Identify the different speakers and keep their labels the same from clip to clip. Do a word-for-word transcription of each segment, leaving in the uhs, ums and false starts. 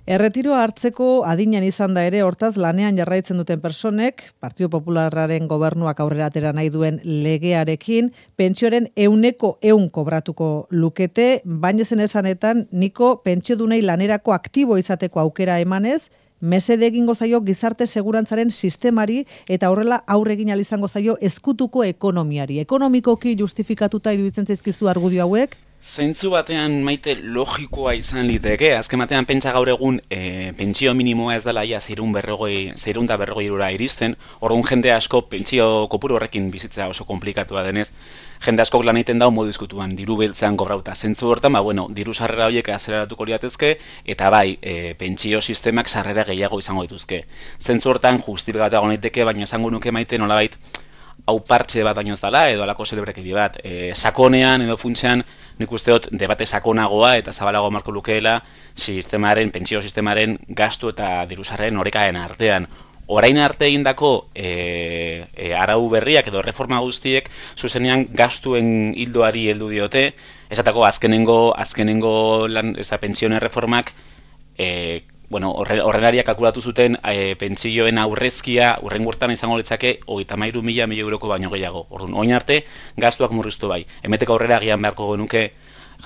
Speaker 1: Erretiroa hartzeko adinean izan da ere, hortaz lanean jarraitzen duten personek, Partido Popularraren gobernuak aurrera atera nahi duen legearekin, pentsioaren euneko eun kobratuko lukete, baina zen esanetan, niko pentsiodunei lanerako aktibo izateko aukera emanez, mesede egingo zaio gizarte segurantzaren sistemari eta horrela aurre egin ahal izango zaio ezkutuko ekonomiari. Ekonomikoki justifikatuta iruditzen zaizkizu argudio hauek?
Speaker 2: Zentzu batean maite logikoa izan liteke, azken batean pentsa gaur egun e, pentsio minimoa ez dela ia zeirun berrogoi, zeirun da berrogoi eurora iristen, orduan jende asko pentsio kopuru horrekin bizitzea oso komplikatua denez, jende askok lan egiten dau modu izkutuan, diru beltzean kobrauta. Zentzu hortan, ba, bueno, diru sarrera horiek azeleratuko liatezke, eta bai, e, pentsio sistemak sarrera gehiago izango dituzke. Zentzu hortan justifikatuago naiteke, baina esango nuke maite nolabait, hau partxe bat baino ez dela, edo alako zelebrekedi bat. E, sakonean edo funtsean, nik uste dut debate sakonagoa eta zabalago marko lukeela sistemaren, pentsio sistemaren gastu eta dirusarren orekaen artean. Orain arte egindako e, e, arau berriak edo reforma guztiek zuzenean gastuen hildoari heldu diote, esatako azkenengo, azkenengo lan, eza, pentsioen reformak e, bueno, horrelariak kalkulatu zuten e, pentsioen aurrezkia urrengo urtean izango litzake hogeita hamairu mila milioi euroko baino gehiago. Orduan, orain arte gastuak murriztu bai. Hemeteko aurrera agian beharko genuke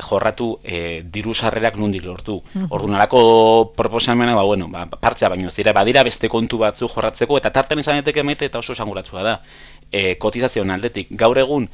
Speaker 2: jorratu e, diru sarrerak nondik lortu. Orduan, alako proposamena, ba, bueno, ba, partxa baino ez dira, badira beste kontu batzu jorratzeko, eta tarten izan daiteke maite eta oso esanguratsua da. E, kotizazioen aldetik, gaur egun,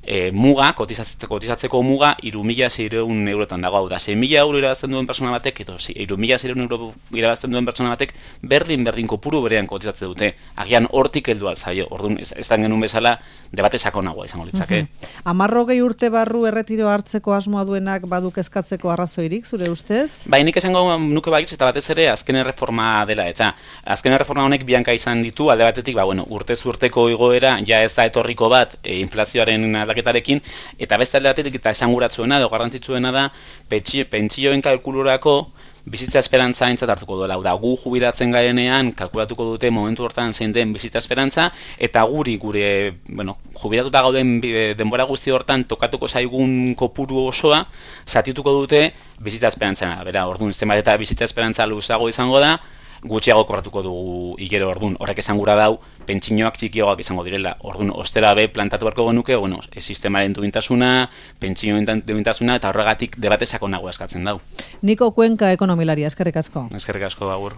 Speaker 2: E, muga, kotizatzeko, kotizatzeko muga, hiru mila seiehun eurotan dago, hau da, sei mila euro irabazten duen persona batek, edo hiru mila seiehun euro irabazten duen persona batek, berdin-berdin kopuru berean kotizatze dute, agian hortik heldu alzaio, orduan, ez, ez da genuen bezala, debate sakonagoa izango litzake.
Speaker 1: Amarrogei urte barru erretiro hartzeko asmoa duenak baduk eskatzeko arrazoirik, zure ustez?
Speaker 2: Bai, nik esango nuke baitz, eta batez ere, azken erreforma dela, eta azken erreforma honek bianka izan ditu, alde batetik, ba, bueno, urtez urteko igoera, ja ez da etorriko bat, e, inflazioaren aldaketarekin, eta beste alde batetik, eta esanguratzuena, edo garrantzitsuena da, pentsioen kalkulurako, bizitza esperantza aintzat hartuko duela. Da, gu jubilatzen garenean kalkulatuko dute momentu hortan zein den bizitza esperantza, eta guri, gure, bueno, jubilatuta gauden denbora guzti hortan tokatuko zaigun kopuru osoa, zatituko dute bizitza esperantzana. Bera, orduan, zenbat eta bizitza esperantza luzago izango da, gutxiago kobratuko dugu hilero orduan. Horrek esan gura dau, pentsinoak txikiagoak izango direla. Orduan, ostera be plantatu beharko genuke, bueno, sistemaren duintasuna, pentsioen duintasuna, eta horregatik debate sakonago eskatzen dau.
Speaker 1: Niko Cuenca ekonomilaria, eskerrik asko.
Speaker 2: Eskerrik asko, agur.